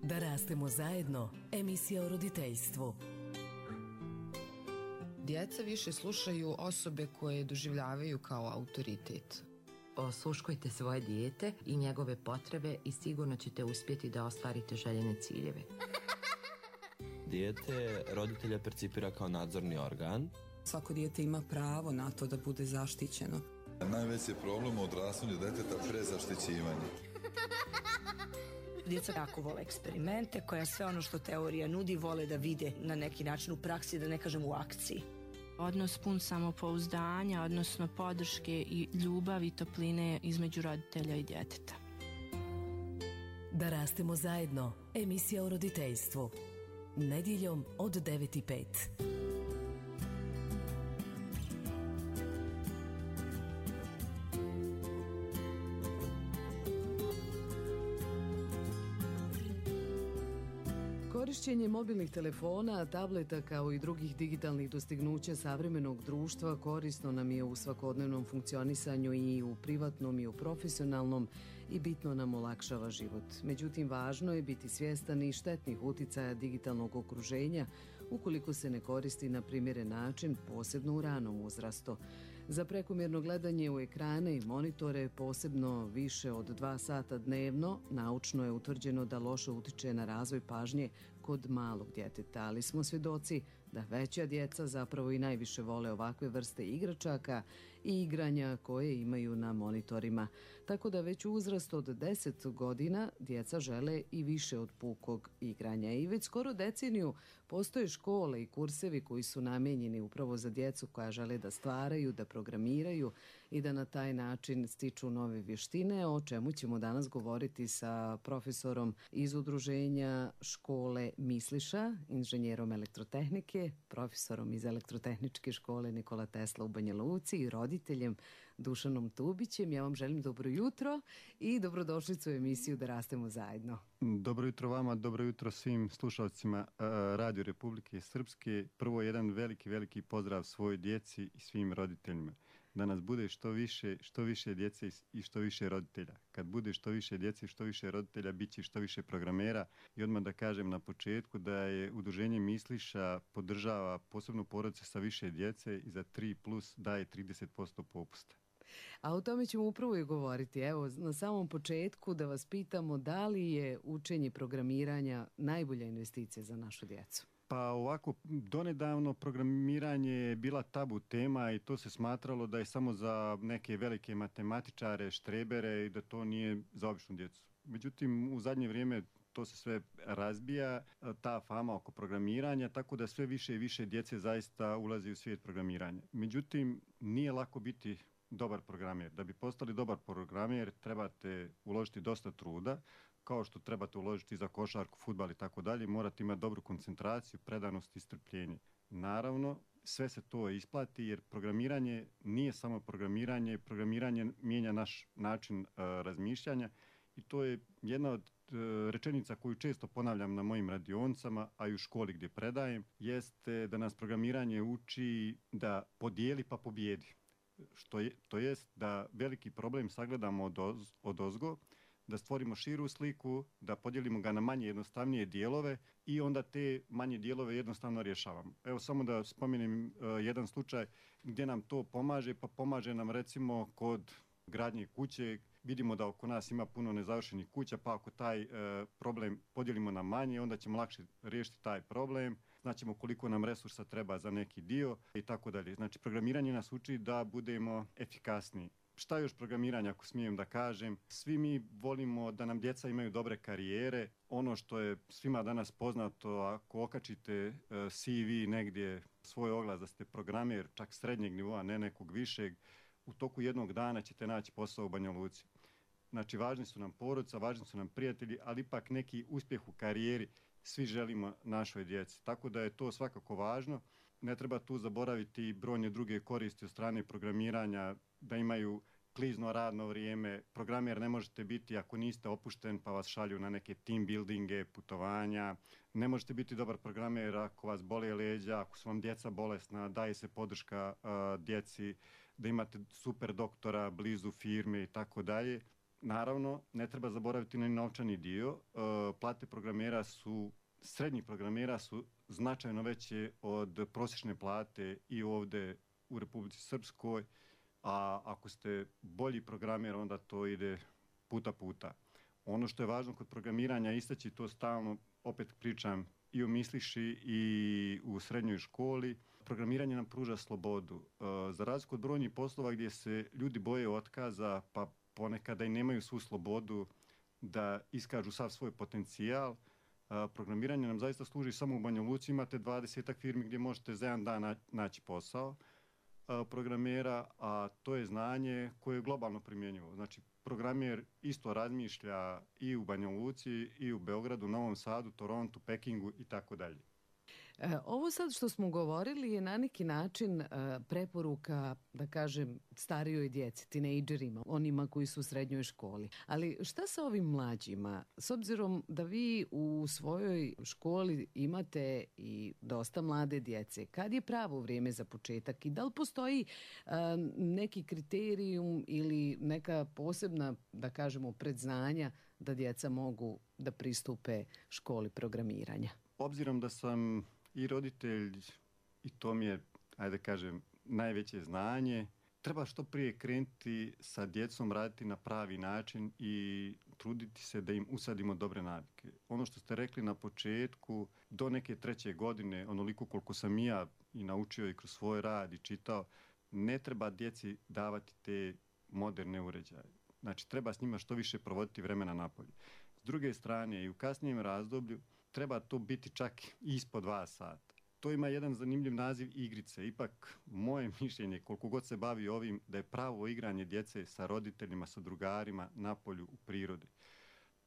Da rastemo zajedno, emisija o roditeljstvu. Djeca više slušaju osobe koje doživljavaju kao autoritet. Osluškujte svoje dijete i njegove potrebe i sigurno ćete uspjeti da ostvarite željene ciljeve. Dijete roditelja percipira kao nadzorni organ. Svako dijete ima pravo na to da bude zaštićeno. Najveći je problem u odrastanju djeteta prezaštićivanje. Djeca jako vole eksperimente, koja sve ono što teorija nudi vole da vide na neki način u praksi, da ne kažem u akciji. Odnos pun samopouzdanja, odnosno podrške i ljubavi i topline između roditelja i djeteta. Da rastemo zajedno, emisija o roditeljstvu. Nedjeljom od 9:05. Korišćenje mobilnih telefona, tableta kao i drugih digitalnih dostignuća savremenog društva korisno nam je u svakodnevnom funkcionisanju i u privatnom i u profesionalnom i bitno nam olakšava život. Međutim, važno je biti svjestan i štetnih uticaja digitalnog okruženja ukoliko se ne koristi na primjeren način, posebno u ranom uzrastu. Za prekomjerno gledanje u ekrane i monitore, posebno više od 2 sata dnevno, naučno je utvrđeno da loše utiče na razvoj pažnje kod malog djeteta, ali smo svjedoci da veća djeca zapravo i najviše vole ovakve vrste igračaka i igranja koje imaju na monitorima. Tako da već u uzrastu od 10 godina djeca žele i više od pukog igranja. I već skoro deceniju postoje škole i kursevi koji su namijenjeni upravo za djecu koja žele da stvaraju, da programiraju i da na taj način stiču nove vještine, o čemu ćemo danas govoriti sa profesorom iz udruženja škole Misliša, inženjerom elektrotehnike, profesorom iz elektrotehničke škole Nikola Tesla u Banja Luci i roditeljem Dušanom Tubićem. Ja vam želim dobro jutro i dobrodošlicu u emisiju Da rastemo zajedno. Dobro jutro vama, dobro jutro svim slušalcima Radio Republike Srpske. Prvo jedan veliki pozdrav svojoj djeci i svim roditeljima. Da nas bude što više djece i što više roditelja. Kad bude što više djece i što više roditelja, bit će što više programera. I odmah da kažem na početku da je udruženje Misliša podržava posebno porodice sa više djece i za 3+ daje 30% popusta. A o tome ćemo upravo i govoriti. Evo, na samom početku da vas pitamo da li je učenje programiranja najbolja investicija za našu djecu? Pa ovako, donedavno programiranje je bila tabu tema i to se smatralo da je samo za neke velike matematičare, štrebere i da to nije za običnu djecu. Međutim, u zadnje vrijeme to se sve razbija, ta fama oko programiranja, tako da sve više i više djece zaista ulazi u svijet programiranja. Međutim, nije lako biti dobar programer. Da bi postali dobar programer trebate uložiti dosta truda, kao što trebate uložiti za košarku, fudbal i tako dalje, morate imati dobru koncentraciju, predanost i strpljenje. Naravno, sve se to isplati jer programiranje nije samo programiranje mijenja naš način razmišljanja i to je jedna od rečenica koju često ponavljam na mojim radionicama, a i u školi gdje predajem, jeste da nas programiranje uči da podijeli pa pobjedi. To jest da veliki problem sagledamo odozgo, da stvorimo širu sliku, da podijelimo ga na manje jednostavnije dijelove i onda te manje dijelove jednostavno rješavamo. Evo samo da spomenem jedan slučaj gdje nam to pomaže, pa pomaže nam recimo kod gradnje kuće. Vidimo da oko nas ima puno nezavršenih kuća, pa ako taj problem podijelimo na manje, onda ćemo lakše riješiti taj problem. Znaćemo koliko nam resursa treba za neki dio i tako dalje. Znači, programiranje nas uči da budemo efikasniji. Šta je još programiranje, ako smijem da kažem? Svi mi volimo da nam djeca imaju dobre karijere. Ono što je svima danas poznato, ako okačite CV negdje, svoj oglas da ste programer, čak srednjeg nivoa, ne nekog višeg, u toku jednog dana ćete naći posao u Banja Luci. Znači, važni su nam porodica, važni su nam prijatelji, ali ipak neki uspjeh u karijeri svi želimo našoj djeci. Tako da je to svakako važno. Ne treba tu zaboraviti brojne druge koristi od strane programiranja, da imaju klizno radno vrijeme. Programer ne možete biti ako niste opušten pa vas šalju na neke team buildinge, putovanja. Ne možete biti dobar programer ako vas bole leđa, ako su vam djeca bolesna, daje se podrška djeci, da imate super doktora blizu firme i tako dalje. Naravno, ne treba zaboraviti na novčani dio. Plate programera su, srednjih programera su značajno veće od prosječne plate i ovdje u Republici Srpskoj, a ako ste bolji programer, onda to ide puta. Ono što je važno kod programiranja istaći, to stalno opet pričam i u Misliši i u srednjoj školi, programiranje nam pruža slobodu. Za razliku od brojnih poslova gdje se ljudi boje otkaza, pa ponekada i nemaju svu slobodu da iskažu sav svoj potencijal, programiranje nam zaista služi samo u Banja Luci. Imate 20 firmi gdje možete za jedan dan naći posao programera, a to je znanje koje je globalno primjenjivo. Znači, programer isto razmišlja i u Banja Luci, i u Beogradu, Novom Sadu, Torontu, Pekingu i tako dalje. Ovo sad što smo govorili je na neki način preporuka, da kažem, starijoj djeci, tinejdžerima, onima koji su u srednjoj školi. Ali šta sa ovim mlađima? S obzirom da vi u svojoj školi imate i dosta mlade djece, kad je pravo vrijeme za početak i da li postoji neki kriterijum ili neka posebna, da kažemo, predznanja da djeca mogu da pristupe školi programiranja? Obzirom da sam i roditelj, i to mi je, ajde kažem, najveće znanje, treba što prije krenuti sa djecom, raditi na pravi način i truditi se da im usadimo dobre navike. Ono što ste rekli na početku, do neke 3. godine, onoliko koliko sam i ja i naučio i kroz svoj rad i čitao, ne treba djeci davati te moderne uređaje. Znači, treba s njima što više provoditi vremena napolje. S druge strane, i u kasnijem razdoblju, treba to biti čak ispod 2 sata. To ima jedan zanimljiv naziv igrice. Ipak, moje mišljenje, koliko god se bavi ovim, da je pravo igranje djece sa roditeljima, sa drugarima, napolju, u prirodi.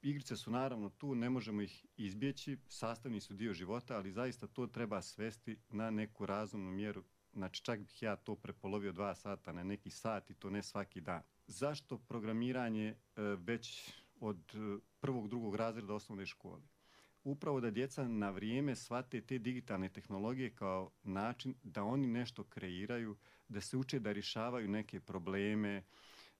Igrice su naravno tu, ne možemo ih izbjeći, sastavni su dio života, ali zaista to treba svesti na neku razumnu mjeru. Znači, čak bih ja to prepolovio 2 sata na neki sat i to ne svaki dan. Zašto programiranje već od 1., 2. razreda osnovne škole? Upravo da djeca na vrijeme shvate te digitalne tehnologije kao način da oni nešto kreiraju, da se uče da rješavaju neke probleme,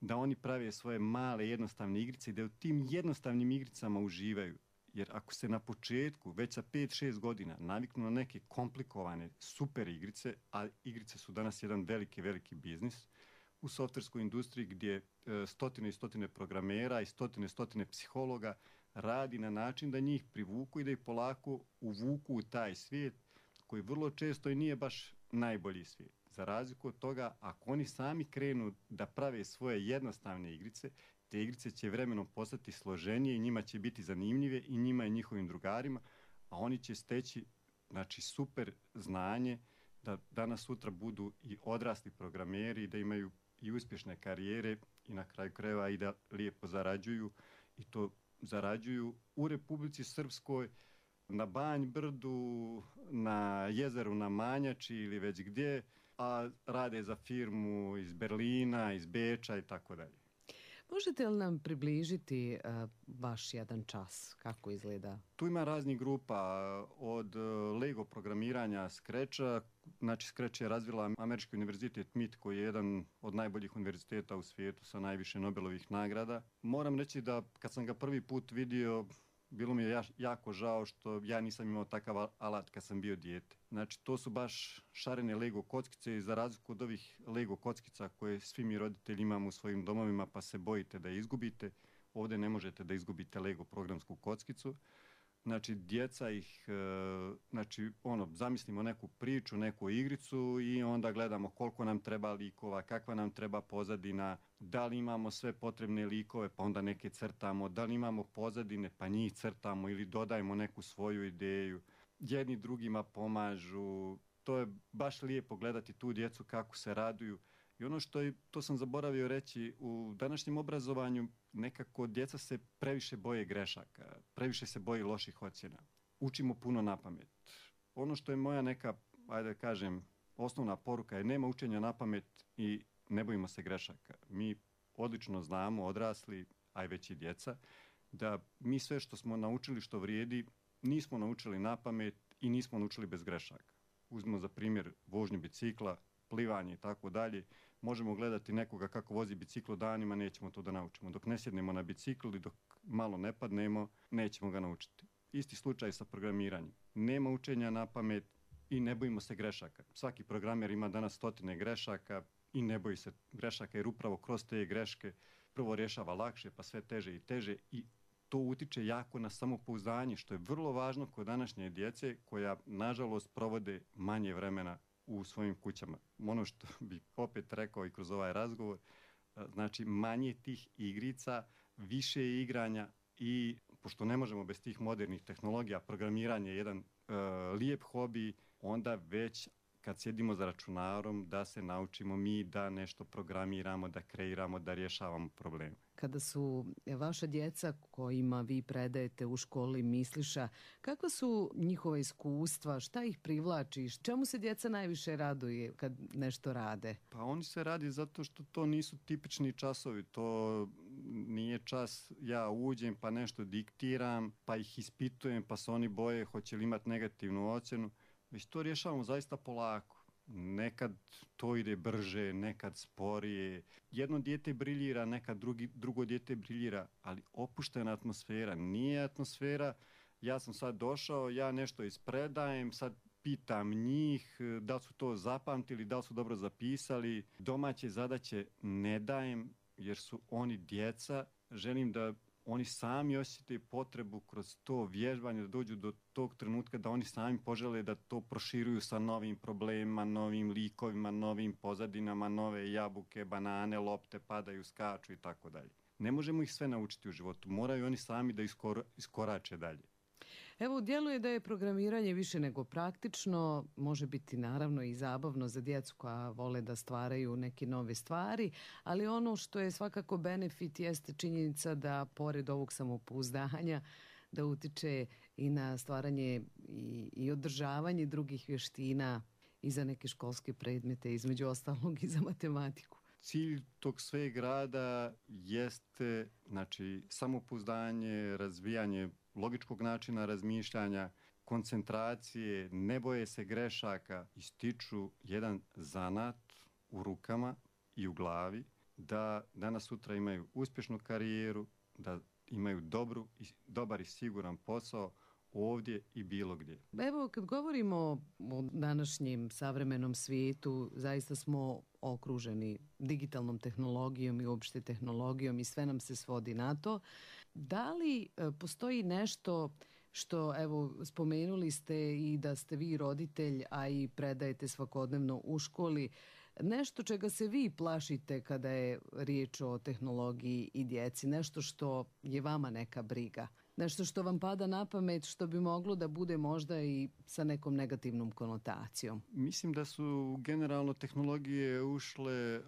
da oni prave svoje male jednostavne igrice i da u tim jednostavnim igricama uživaju. Jer ako se na početku, već sa 5-6 godina, naviknu na neke komplikovane super igrice, a igrice su danas jedan veliki biznis, u softverskoj industriji gdje stotine i stotine programera i stotine psihologa radi na način da njih privuku i da ih polako uvuku u taj svijet koji vrlo često i nije baš najbolji svijet. Za razliku od toga, ako oni sami krenu da prave svoje jednostavne igrice, te igrice će vremenom postati složenije i njima će biti zanimljive i njima i njihovim drugarima, a oni će steći, znači, super znanje da danas sutra budu i odrasli programeri, da imaju i uspješne karijere i na kraju krajeva i da lijepo zarađuju, i to zarađuju u Republici Srpskoj, na Banj Brdu, na jezeru na Manjači ili već gdje, a rade za firmu iz Berlina, iz Beča i tako dalje. Možete li nam približiti vaš jedan čas? Kako izgleda? Tu ima raznih grupa, od Lego programiranja Scratcha. Znači, Scratch je razvila Američki univerzitet MIT, koji je jedan od najboljih univerziteta u svijetu sa najviše Nobelovih nagrada. Moram reći da kad sam ga prvi put vidio, bilo mi je jako žao što ja nisam imao takav alat kad sam bio dijete. Znači, to su baš šarene Lego kockice i za razliku od ovih Lego kockica koje svi mi roditelji imamo u svojim domovima pa se bojite da je izgubite, ovdje ne možete da izgubite Lego programsku kockicu. Znači, djeca ih, zamislimo neku priču, neku igricu i onda gledamo koliko nam treba likova, kakva nam treba pozadina, da li imamo sve potrebne likove, pa onda neke crtamo, da li imamo pozadine, pa njih crtamo ili dodajemo neku svoju ideju. Jedni drugima pomažu. To je baš lijepo gledati tu djecu kako se raduju. I ono to sam zaboravio reći, u današnjem obrazovanju nekako djeca se previše boje grešaka, previše se boje loših ocjena. Učimo puno na pamet. Ono što je moja neka, ajde kažem, osnovna poruka je nema učenja na pamet i ne bojimo se grešaka. Mi odlično znamo, odrasli, a i već i djeca, da mi sve što smo naučili što vrijedi, nismo naučili na pamet i nismo naučili bez grešaka. Uzmimo za primjer vožnju bicikla, plivanje i tako dalje. Možemo gledati nekoga kako vozi biciklo danima, nećemo to da naučimo. Dok ne sjednemo na bicikl i dok malo ne padnemo, nećemo ga naučiti. Isti slučaj sa programiranjem. Nema učenja na pamet i ne bojimo se grešaka. Svaki programer ima danas 100 grešaka i ne boji se grešaka jer upravo kroz te greške prvo rješava lakše pa sve teže i teže i to utiče jako na samopouzdanje, što je vrlo važno kod današnje djece koja nažalost provode manje vremena u svojim kućama. Ono što bih opet rekao i kroz ovaj razgovor, znači manje tih igrica, više igranja i pošto ne možemo bez tih modernih tehnologija, programiranje je jedan lijep hobi, onda već kad sjedimo za računarom da se naučimo mi da nešto programiramo, da kreiramo, da rješavamo probleme. Kada su vaša djeca kojima vi predajete u školi misliša, kakva su njihova iskustva, šta ih privlači, čemu se djeca najviše raduje kad nešto rade? Pa oni se radi zato što to nisu tipični časovi, to nije čas ja uđem pa nešto diktiram, pa ih ispitujem pa se oni boje hoće li imati negativnu ocjenu, već to rješavamo zaista polako. Nekad to ide brže, nekad sporije. Jedno dijete briljira, nekad drugo dijete briljira, ali opuštena atmosfera. Nije atmosfera, ja sam sad došao, ja nešto ispredajem, sad pitam njih da li su to zapamtili, da li su dobro zapisali. Domaće zadaće ne dajem jer su oni djeca. Želim da oni sami osjete potrebu kroz to vježbanje da dođu do tog trenutka da oni sami požele da to proširuju sa novim problemima, novim likovima, novim pozadinama, nove jabuke, banane, lopte padaju, skaču i tako dalje. Ne možemo ih sve naučiti u životu, moraju oni sami da iskorače dalje. Evo, djeluje da je programiranje više nego praktično, može biti naravno i zabavno za djecu koja vole da stvaraju neke nove stvari, ali ono što je svakako benefit jeste činjenica da pored ovog samopouzdanja da utiče i na stvaranje i održavanje drugih vještina i za neke školske predmete, između ostalog i za matematiku. Cilj tog sveg rada jeste samopouzdanje, razvijanje logičkog načina razmišljanja, koncentracije, ne boje se grešaka, ističu jedan zanat u rukama i u glavi, da danas sutra imaju uspješnu karijeru, da imaju dobar i siguran posao ovdje i bilo gdje. Evo, kad govorimo o današnjem savremenom svijetu, zaista smo okruženi digitalnom tehnologijom i uopšte tehnologijom i sve nam se svodi na to. Da li postoji nešto što, evo, spomenuli ste i da ste vi roditelj, a i predajete svakodnevno u školi, nešto čega se vi plašite kada je riječ o tehnologiji i djeci, nešto što je vama neka briga, nešto što vam pada na pamet, što bi moglo da bude možda i sa nekom negativnom konotacijom? Mislim da su generalno tehnologije ušle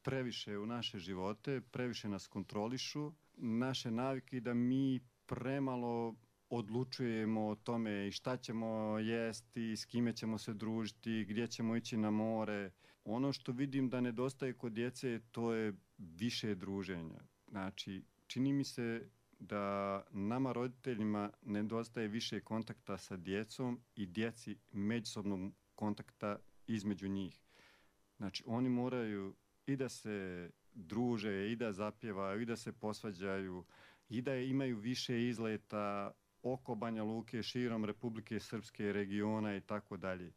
previše u naše živote, previše nas kontrolišu, naše navike da mi premalo odlučujemo o tome i šta ćemo jesti, s kime ćemo se družiti, gdje ćemo ići na more. Ono što vidim da nedostaje kod djece, to je više druženja. Znači, čini mi se da nama roditeljima nedostaje više kontakta sa djecom i djeci međusobnog kontakta između njih. Znači, oni moraju i da se druže, i da zapjevaju, i da se posvađaju, i da imaju više izleta oko Banja Luke, širom Republike Srpske, regiona i tako dalje.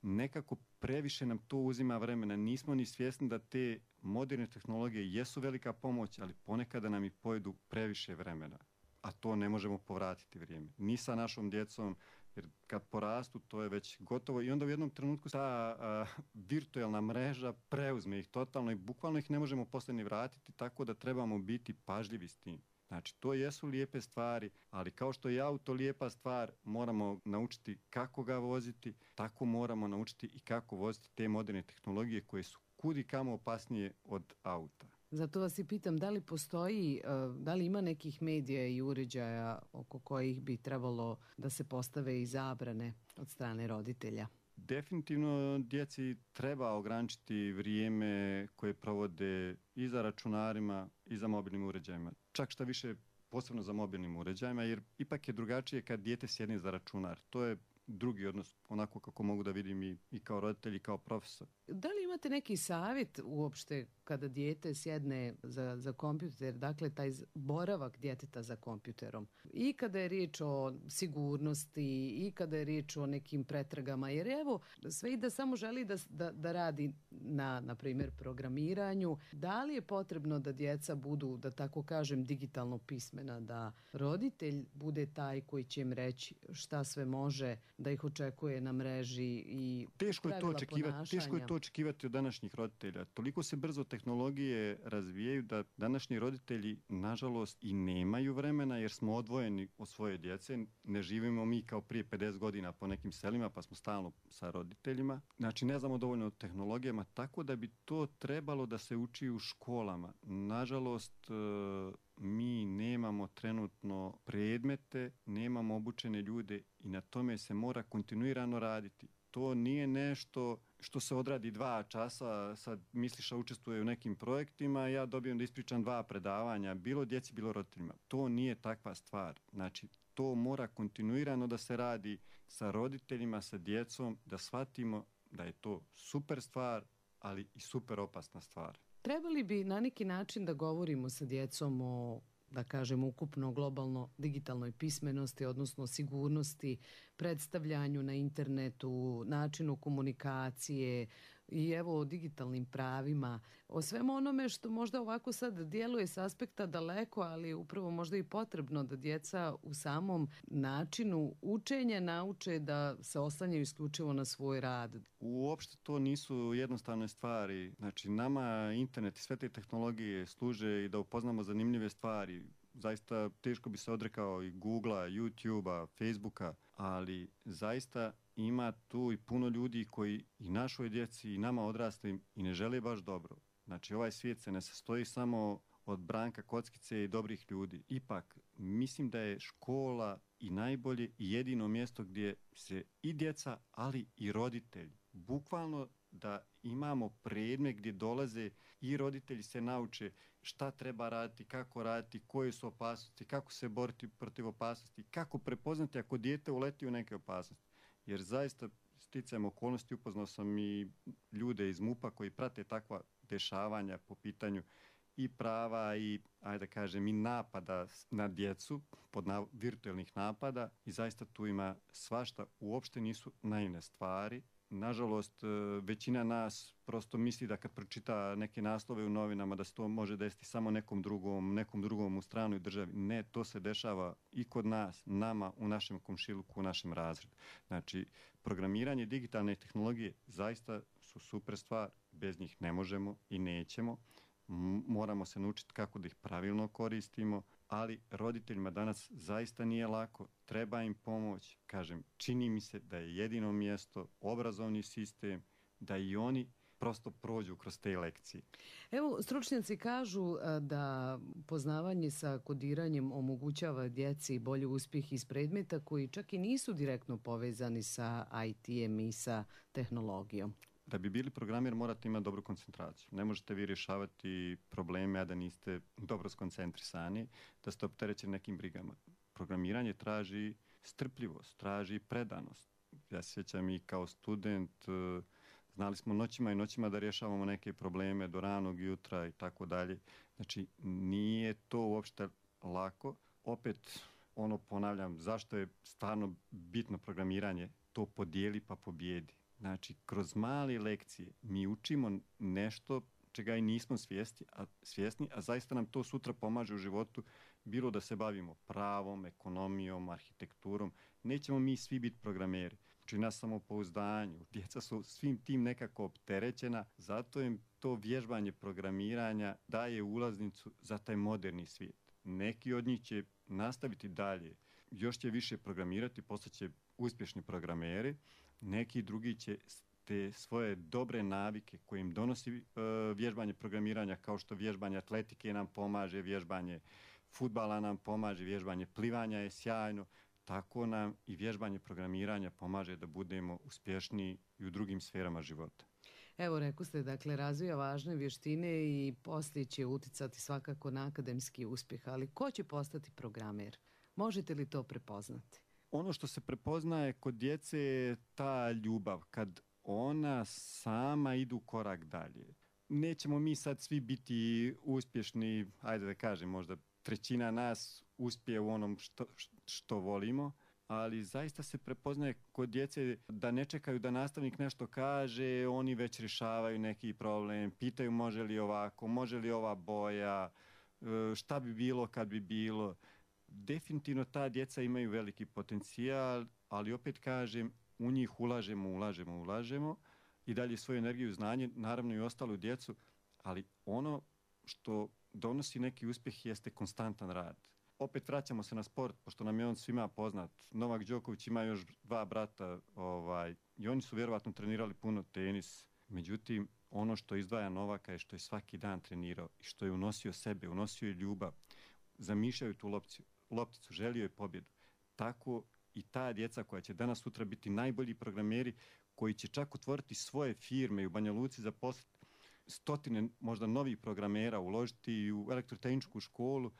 Nekako previše nam to uzima vremena. Nismo ni svjesni da te moderne tehnologije jesu velika pomoć, ali ponekada nam i pojedu previše vremena. A to ne možemo povratiti vrijeme. Ni sa našom djecom, jer kad porastu to je već gotovo i onda u jednom trenutku ta virtualna mreža preuzme ih totalno i bukvalno ih ne možemo poslije ni vratiti, tako da trebamo biti pažljivi s tim. Znači, to jesu lijepe stvari, ali kao što je auto lijepa stvar, moramo naučiti kako ga voziti, tako moramo naučiti i kako voziti te moderne tehnologije koje su kud i kamo opasnije od auta. Zato vas i pitam, da li postoji, da li ima nekih medija i uređaja oko kojih bi trebalo da se postave i zabrane od strane roditelja? Definitivno djeci treba ograničiti vrijeme koje provode i za računarima i za mobilnim uređajima. Čak šta više posebno za mobilnim uređajima, jer ipak je drugačije kad dijete sjedne za računar. To je drugi odnos, onako kako mogu da vidim i kao roditelj i kao profesor. Da li imate neki savjet uopšte kada dijete sjedne za kompjuter, dakle taj boravak djeteta za kompjuterom, i kada je riječ o sigurnosti i kada je riječ o nekim pretragama, jer evo sve i da samo želi da radi na primjer programiranju, da li je potrebno da djeca budu, da tako kažem, digitalno pismena, da roditelj bude taj koji će im reći šta sve može, da ih očekuje na mreži i pravila ponašanja? Teško je to očekivati od današnjih roditelja. Toliko se brzo tehnologije razvijaju da današnji roditelji nažalost i nemaju vremena jer smo odvojeni od svoje djece. Ne živimo mi kao prije 50 godina po nekim selima pa smo stalno sa roditeljima. Znači ne znamo dovoljno o tehnologijama, tako da bi to trebalo da se uči u školama. Nažalost, mi nemamo trenutno predmete, nemamo obučene ljude i na tome se mora kontinuirano raditi. To nije nešto što se odradi 2 časa, sad misliš da učestvuje u nekim projektima, ja dobijem da ispričam 2 predavanja, bilo djeci, bilo roditeljima. To nije takva stvar. Znači, to mora kontinuirano da se radi sa roditeljima, sa djecom, da shvatimo da je to super stvar, ali i super opasna stvar. Trebali bi na neki način da govorimo sa djecom o, da kažem, ukupno globalno digitalnoj pismenosti, odnosno sigurnosti, predstavljanju na internetu, načinu komunikacije i evo o digitalnim pravima, o svemu onome što možda ovako sad djeluje s aspekta daleko, ali upravo možda i potrebno da djeca u samom načinu učenja nauče da se oslanjaju isključivo na svoj rad. Uopšte to nisu jednostavne stvari. Znači nama internet i sve te tehnologije služe i da upoznamo zanimljive stvari. Zaista teško bi se odrekao i Googlea, YouTubea, Facebooka, ali zaista ima tu i puno ljudi koji i našoj djeci i nama odraslim i ne žele baš dobro. Znači ovaj svijet se ne sastoji samo od Branka Kockice i dobrih ljudi. Ipak mislim da je škola i najbolje i jedino mjesto gdje se i djeca, ali i roditelji, bukvalno da imamo predmet gdje dolaze i roditelji se nauče šta treba raditi, kako raditi, koje su opasnosti, kako se boriti protiv opasnosti, kako prepoznati ako dijete uleti u neke opasnosti. Jer zaista sticajem okolnosti upoznao sam i ljude iz MUP-a koji prate takva dešavanja po pitanju i prava i, ajde kažem, i napada na djecu, virtualnih napada, i zaista tu ima svašta, uopšte nisu naivne stvari. Nažalost, većina nas prosto misli da kad pročita neke naslove u novinama da se to može desiti samo nekom drugom u stranoj državi. Ne, to se dešava i kod nas, nama, u našem komšiluku, u našem razredu. Znači, programiranje, digitalne tehnologije zaista su super stvar, bez njih ne možemo i nećemo. Moramo se naučiti kako da ih pravilno koristimo, ali roditeljima danas zaista nije lako, treba im pomoć. Kažem, čini mi se da je jedino mjesto obrazovni sistem, da i oni prosto prođu kroz te lekcije. Evo, stručnjaci kažu da poznavanje sa kodiranjem omogućava djeci bolji uspjeh iz predmeta koji čak i nisu direktno povezani sa IT-em i sa tehnologijom. Da bi bili programer morate imati dobru koncentraciju. Ne možete vi rješavati probleme, a da niste dobro skoncentrisani, da ste opterećeni nekim brigama. Programiranje traži strpljivost, traži predanost. Ja se sjećam i kao student, znali smo noćima i noćima da rješavamo neke probleme do ranog jutra i tako dalje. Znači, nije to uopšte lako. Opet, ponavljam, zašto je stvarno bitno programiranje? To podijeli pa pobjedi. Znači, kroz male lekcije mi učimo nešto čega i nismo svjesni, a zaista nam to sutra pomaže u životu, bilo da se bavimo pravom, ekonomijom, arhitekturom. Nećemo mi svi biti programeri. Znači, na samopouzdanju. Djeca su svim tim nekako opterećena, zato im to vježbanje programiranja daje ulaznicu za taj moderni svijet. Neki od njih će nastaviti dalje, još će više programirati, postaće uspješni programeri. Neki drugi će te svoje dobre navike koje im donosi vježbanje programiranja, kao što vježbanje atletike nam pomaže, vježbanje fudbala nam pomaže, vježbanje plivanja je sjajno, tako nam i vježbanje programiranja pomaže da budemo uspješniji i u drugim sferama života. Evo, rekao ste, dakle, razvija važne vještine i poslije će uticati svakako na akademski uspjeh, ali ko će postati programer? Možete li to prepoznati? ono što se prepoznaje kod djece je ta ljubav, kad ona sama idu korak dalje. Nećemo mi sad svi biti uspješni, ajde da kažem, možda trećina nas uspije u onom što volimo, ali zaista se prepoznaje kod djece da ne čekaju da nastavnik nešto kaže, oni već rješavaju neki problem, pitaju može li ovako, može li ova boja, šta bi bilo kad bi bilo. Definitivno ta djeca imaju veliki potencijal, ali opet kažem, u njih ulažemo i dalje svoju energiju i znanje, naravno i ostalu djecu, ali ono što donosi neki uspjeh jeste konstantan rad. Opet vraćamo se na sport, pošto nam je on svima poznat. Novak Đoković ima još 2 brata i oni su vjerovatno trenirali puno tenis. Međutim, ono što izdvaja Novaka je što je svaki dan trenirao i što je unosio sebe, unosio je ljubav. Zamišljaju tu lopticu, želio je pobjedu. Tako i ta djeca koja će danas sutra biti najbolji programeri, koji će čak otvoriti svoje firme i u Banja Luci zaposliti stotine možda novih programera, uložiti i u elektrotehničku školu,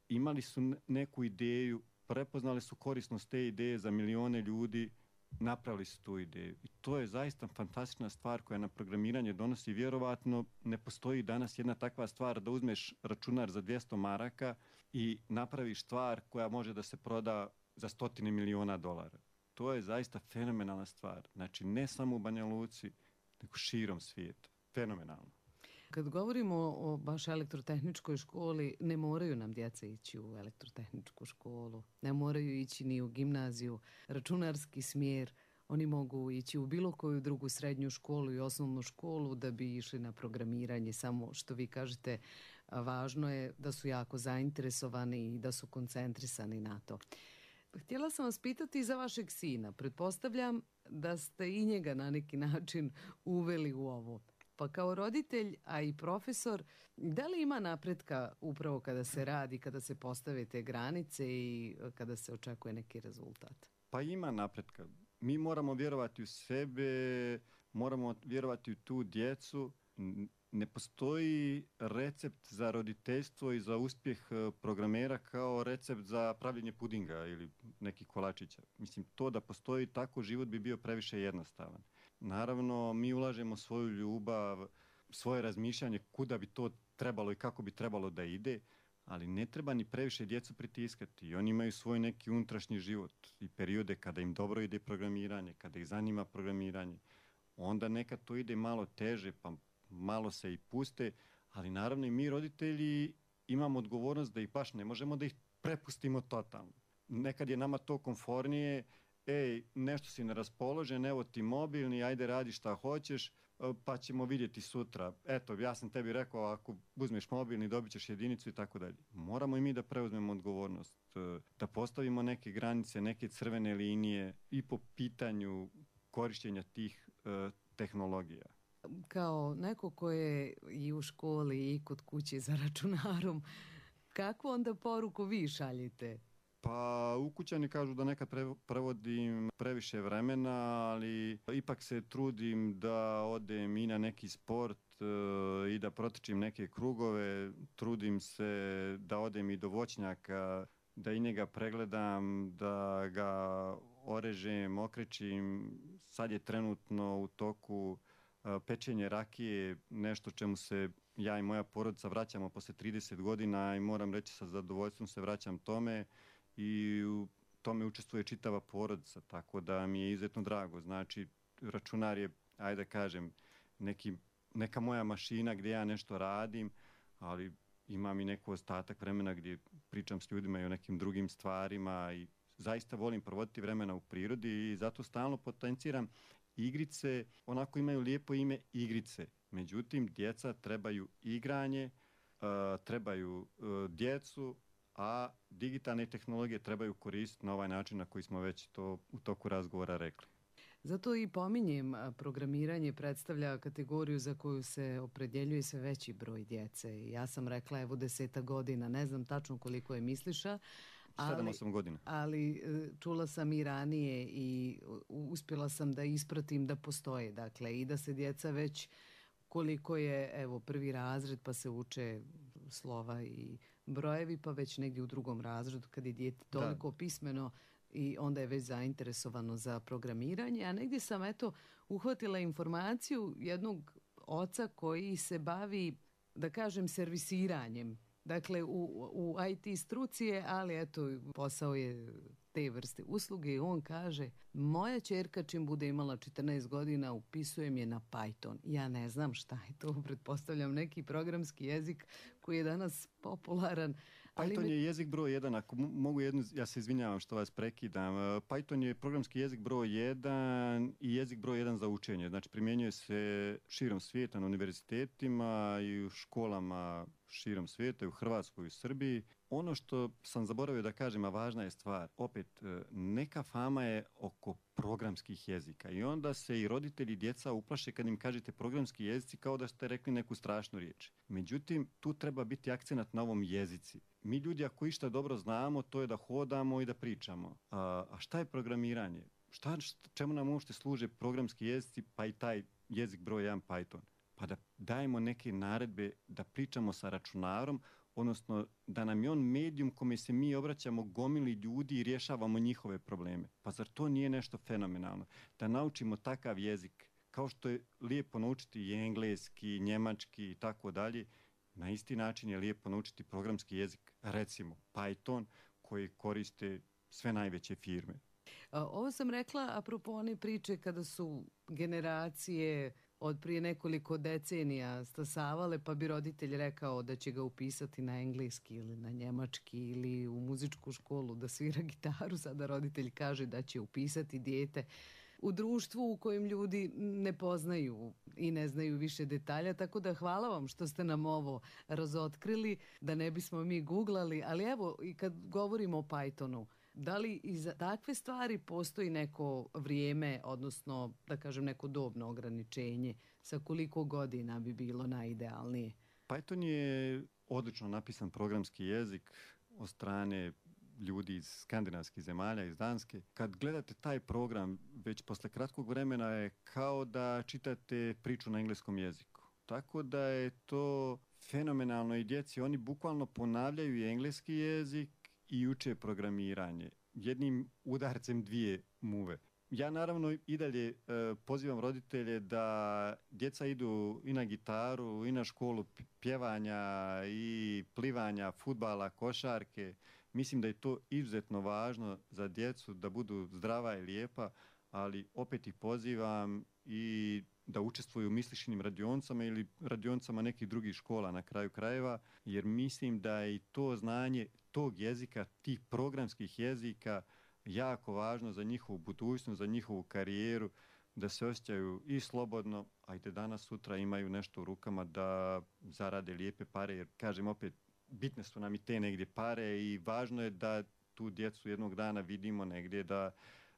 imali su neku ideju, prepoznali su korisnost te ideje za milione ljudi, napravili su tu ideju. I to je zaista fantastična stvar koja na programiranje donosi. Vjerovatno ne postoji danas jedna takva stvar da uzmeš računar za 200 maraka i napraviš stvar koja može da se proda za $100 miliona. To je zaista fenomenalna stvar. Znači, ne samo u Banja Luci, nego širom svijeta. Fenomenalno. Kad govorimo o baš elektrotehničkoj školi, ne moraju nam djeca ići u elektrotehničku školu, ne moraju ići ni u gimnaziju, računarski smjer. Oni mogu ići u bilo koju drugu srednju školu i osnovnu školu da bi išli na programiranje. Samo što vi kažete, važno je da su jako zainteresovani i da su koncentrisani na to. Htjela sam vas pitati za vašeg sina. Pretpostavljam da ste i njega na neki način uveli u ovo. Pa kao roditelj, a i profesor, da li ima napretka upravo kada se radi, kada se postave te granice i kada se očekuje neki rezultat? Pa ima napretka. Mi moramo vjerovati u sebe, moramo vjerovati u tu djecu. Ne postoji recept za roditeljstvo i za uspjeh programera kao recept za pravljenje pudinga ili nekih kolačića. Mislim, to da postoji tako, život bi bio previše jednostavan. Naravno, mi ulažemo svoju ljubav, svoje razmišljanje kuda bi to trebalo i kako bi trebalo da ide, ali ne treba ni previše djecu pritiskati. Oni imaju svoj neki unutrašnji život i periode kada im dobro ide programiranje, kada ih zanima programiranje. Onda nekad to ide malo teže, pa malo se i puste, ali naravno i mi roditelji imamo odgovornost da ih baš ne možemo da ih prepustimo totalno. Nekad je nama to komfornije, nešto si neraspoložen, evo ti mobilni, ajde radi šta hoćeš, pa ćemo vidjeti sutra. Eto, ja sam tebi rekao, ako uzmeš mobilni, dobit ćeš jedinicu i tako dalje. Moramo i mi da preuzmemo odgovornost, da postavimo neke granice, neke crvene linije i po pitanju korištenja tih tehnologija. Kao neko ko je i u školi i kod kuće za računarom, kakvu onda poruku vi šaljite? Pa ukućani kažu da nekad provodim previše vremena, ali ipak se trudim da odem i na neki sport i da protrčim neke krugove. Trudim se da odem i do voćnjaka, da i njega pregledam, da ga orežem, okrećim. Sad je trenutno u toku pečenje rakije, nešto čemu se ja i moja porodica vraćamo posle 30 godina i moram reći sa zadovoljstvom se vraćam tome. I u tome učestvuje čitava porodica, tako da mi je izuzetno drago. Znači, računar je, ajde da kažem, neka moja mašina gdje ja nešto radim, ali imam i neku ostatak vremena gdje pričam s ljudima i o nekim drugim stvarima i zaista volim provoditi vremena u prirodi i zato stalno potenciram igrice. Onako imaju lijepo ime igrice. Međutim, djeca trebaju igranje, trebaju djecu, a digitalne tehnologije trebaju koristiti na ovaj način na koji smo već to u toku razgovora rekli. Zato i pominjem, programiranje predstavlja kategoriju za koju se opredjeljuje sve veći broj djece. Ja sam rekla, evo 10 godina, ne znam tačno koliko je Misliša, 7-8 godina. Ali čula sam i ranije i uspjela sam da ispratim da postoje. Dakle, i da se djeca već koliko je, evo, 1. razred pa se uče slova i brojevi, pa već negdje u 2. razredu kad je dijete toliko pismeno i onda je već zainteresovano za programiranje, a negdje sam uhvatila informaciju jednog oca koji se bavi, da kažem, servisiranjem. Dakle, u IT struci je, ali posao je te vrste usluge i on kaže, moja ćerka čim bude imala 14 godina upisujem je na Python. Ja ne znam šta je to, pretpostavljam neki programski jezik koji je danas popularan. Python je jezik broj 1, ako mogu ja se izvinjavam što vas prekidam. Python je programski jezik broj 1 i jezik broj 1 za učenje. Znači primjenjuje se širom svijeta na univerzitetima i u školama širom svijeta, i u Hrvatskoj i u Srbiji. Ono što sam zaboravio da kažem, a važna je stvar, opet, neka fama je oko programskih jezika i onda se i roditelji i djeca uplaše kad im kažete programski jezici kao da ste rekli neku strašnu riječ. Međutim, tu treba biti akcenat na ovom jezici. Mi ljudi ako išta dobro znamo, to je da hodamo i da pričamo. A šta je programiranje? Čemu nam uopšte služe programski jezici, pa i taj jezik broj 1 Python? Pa da dajemo neke naredbe, da pričamo sa računarom, odnosno da nam je on medijum kome se mi obraćamo gomili ljudi i rješavamo njihove probleme. Pa zar to nije nešto fenomenalno? Da naučimo takav jezik, kao što je lijepo naučiti i engleski, njemački i tako dalje, na isti način je lijepo naučiti programski jezik, recimo Python, koji koriste sve najveće firme. Ovo sam rekla apropo one priče kada su generacije od prije nekoliko decenija stasavale, pa bi roditelj rekao da će ga upisati na engleski ili na njemački ili u muzičku školu da svira gitaru. Sada roditelj kaže da će upisati dijete u društvu u kojem ljudi ne poznaju i ne znaju više detalja, tako da hvala vam što ste nam ovo razotkrili, da ne bismo mi googlali, ali evo i kad govorimo o Pythonu, da li i za takve stvari postoji neko vrijeme, odnosno da kažem neko dobno ograničenje, sa koliko godina bi bilo najidealnije? Python je odlično napisan programski jezik od strane ljudi iz skandinavskih zemalja, iz Danske. Kad gledate taj program, već posle kratkog vremena je kao da čitate priču na engleskom jeziku. Tako da je to fenomenalno i djeci. Oni bukvalno ponavljaju i engleski jezik i uče programiranje. Jednim udarcem dvije muve. Ja naravno i dalje pozivam roditelje da djeca idu i na gitaru, i na školu pjevanja, i plivanja, fudbala, košarke. Mislim da je to izuzetno važno za djecu da budu zdrava i lijepa, ali opet ih pozivam i da učestvuju u mislišnim radionicama ili radionicama nekih drugih škola na kraju krajeva, jer mislim da je i to znanje tog jezika, tih programskih jezika jako važno za njihovu budućnost, za njihovu karijeru, da se osjećaju i slobodno, a i da danas sutra imaju nešto u rukama da zarade lijepe pare, jer kažem opet, bitne su nam i te negdje pare i važno je da tu djecu jednog dana vidimo negdje, da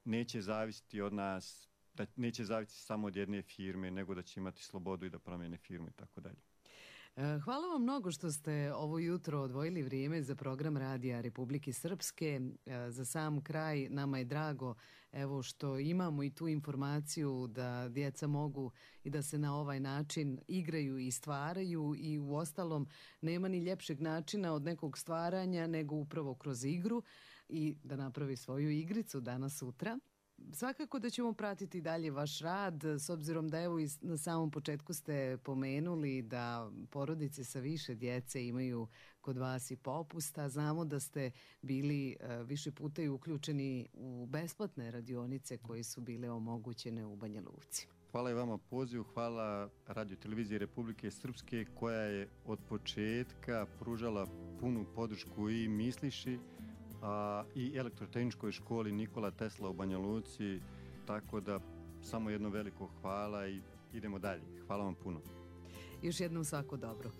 neće zavisiti od nas, da neće zavisiti samo od jedne firme, nego da će imati slobodu i da promijene firmu i tako dalje. Hvala vam mnogo što ste ovo jutro odvojili vrijeme za program Radija Republike Srpske. Za sam kraj nama je drago evo što imamo i tu informaciju da djeca mogu i da se na ovaj način igraju i stvaraju i u ostalom nema ni ljepšeg načina od nekog stvaranja nego upravo kroz igru i da napravi svoju igricu danas sutra. Svakako da ćemo pratiti dalje vaš rad, s obzirom da evo na samom početku ste pomenuli da porodice sa više djece imaju kod vas i popusta. Znamo da ste bili više puta i uključeni u besplatne radionice koje su bile omogućene u Banja Luci. Hvala i vama pozivu, hvala Radio Televiziji Republike Srpske koja je od početka pružala punu podršku i misliši, i elektrotehničkoj školi Nikola Tesla u Banja Luci, tako da samo jedno veliko hvala i idemo dalje. Hvala vam puno. Još jednom svako dobro.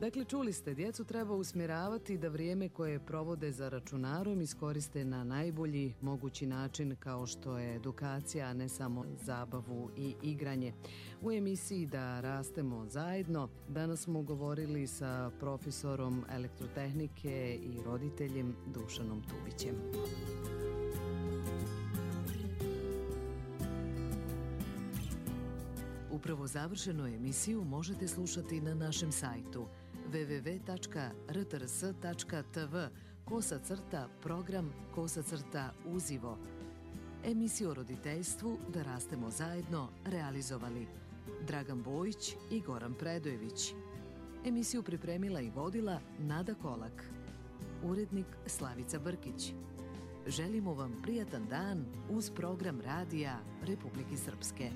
Dakle, čuli ste, djecu treba usmjeravati da vrijeme koje provode za računarom iskoriste na najbolji mogući način kao što je edukacija, a ne samo zabavu i igranje. U emisiji Da rastemo zajedno danas smo govorili sa profesorom elektrotehnike i roditeljem Dušanom Tubićem. Upravo završenu emisiju možete slušati na našem sajtu www.rtrs.tv program uzivo. Emisiju o roditeljstvu Da rastemo zajedno realizovali Dragan Bojić i Goran Predojević. Emisiju pripremila i vodila Nada Kolak. Urednik Slavica Brkić. Želimo vam prijatan dan uz program radija Republike Srpske.